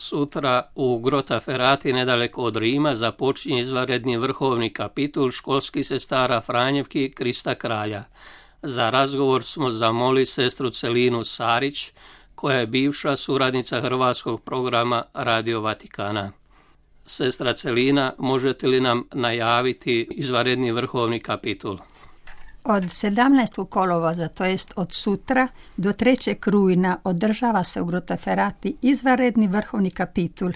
Sutra u Grottaferrati nedaleko od Rima započinje izvanredni vrhovni kapitul školskih sestara Franjevki Krista Kralja. Za razgovor smo zamolili sestru Celinu Sarić, koja je bivša suradnica hrvatskog programa Radio Vatikana. Sestra Celina, možete li nam najaviti izvanredni vrhovni kapitul? Od 17. kolovoza, to jest od sutra, do 3. rujna održava se u Grottaferrati izvanredni vrhovni kapitul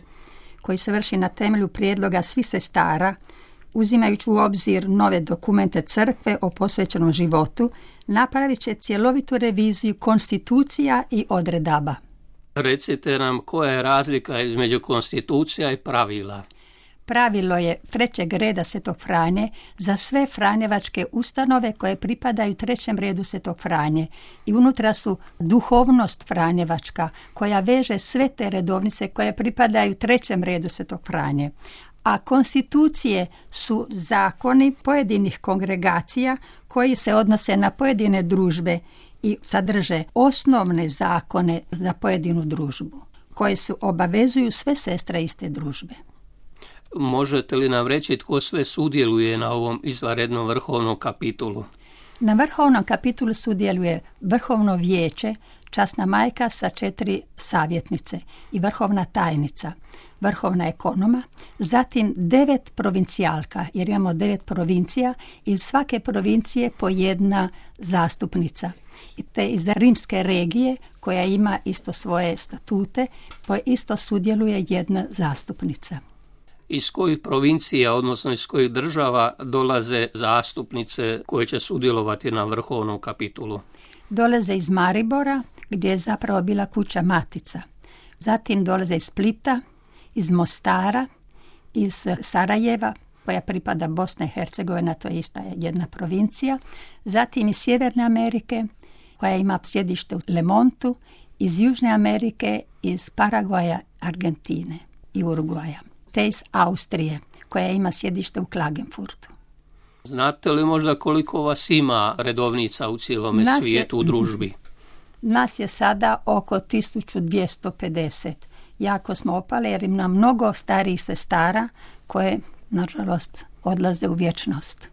koji se vrši na temelju prijedloga svih sestara, uzimajući u obzir nove dokumente crkve o posvećenom životu, napravit će cjelovitu reviziju konstitucija i odredaba. Recite nam koja je razlika između konstitucija i pravila. Pravilo je 3. reda Svetog Franje za sve franjevačke ustanove koje pripadaju 3. redu Svetog Franje i unutra su duhovnost franjevačka koja veže sve te redovnice koje pripadaju 3. redu Svetog Franje. A konstitucije su zakoni pojedinih kongregacija koji se odnose na pojedine družbe i sadrže osnovne zakone za pojedinu družbu koje su obavezuju sve sestre iste družbe. Možete li nam reći tko sve sudjeluje na ovom izvanrednom vrhovnom kapitulu? Na vrhovnom kapitulu sudjeluje vrhovno vijeće, časna majka sa 4 savjetnice i vrhovna tajnica, vrhovna ekonoma, zatim 9 provincijalka, jer imamo 9 provincija i iz svake provincije po jedna zastupnica. Te iz rimske regije, koja ima isto svoje statute, isto sudjeluje jedna zastupnica. Iz kojih provincija, odnosno iz kojih država dolaze zastupnice koje će sudjelovati na vrhovnom kapitulu? Dolaze iz Maribora, gdje je zapravo bila kuća matica. Zatim dolaze iz Splita, iz Mostara, iz Sarajeva, koja pripada Bosna i Hercegovina, to je ista jedna provincija. Zatim iz Sjeverne Amerike, koja ima sjedište u Lemontu, iz Južne Amerike, iz Paragvaja, Argentine i Urugvaja, te iz Austrije, koja ima sjedište u Klagenfurtu. Znate li možda koliko vas ima redovnica u cijelome svijetu u družbi? Nas je sada oko 1250. Jako smo opali jer ima mnogo starijih sestara koje, nažalost, odlaze u vječnost.